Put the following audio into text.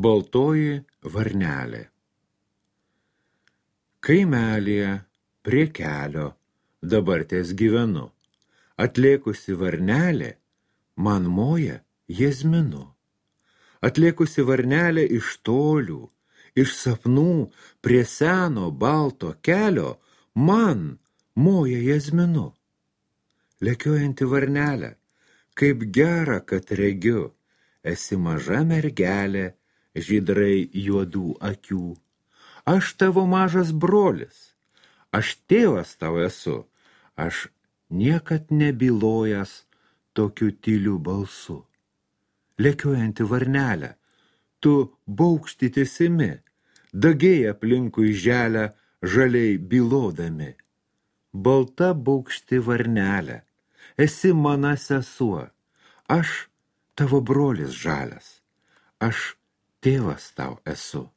Baltoji varnelė. Kaimelėje prie kelio dabar ties gyvenu. Atlėkusi varnelė man moja jazminu. Atlėkusi varnelė iš tolių, iš sapnų prie seno balto kelio man moja jazminu. Lekiojanti varnelė, kaip gera, kad regiu, esi maža mergelė, žydrai juodų akių. Aš tavo mažas brolis, aš tėvas tau esu, aš niekad nebylojęs tokiu tyliu balsu. Lekiojanti varnelė, tu baukštytis imi, dagiai aplinkui želę žaliai bylodami. Balta baukšti varnelė, esi mana sesuo, aš tavo brolis žalias, aš tėvas tau esu.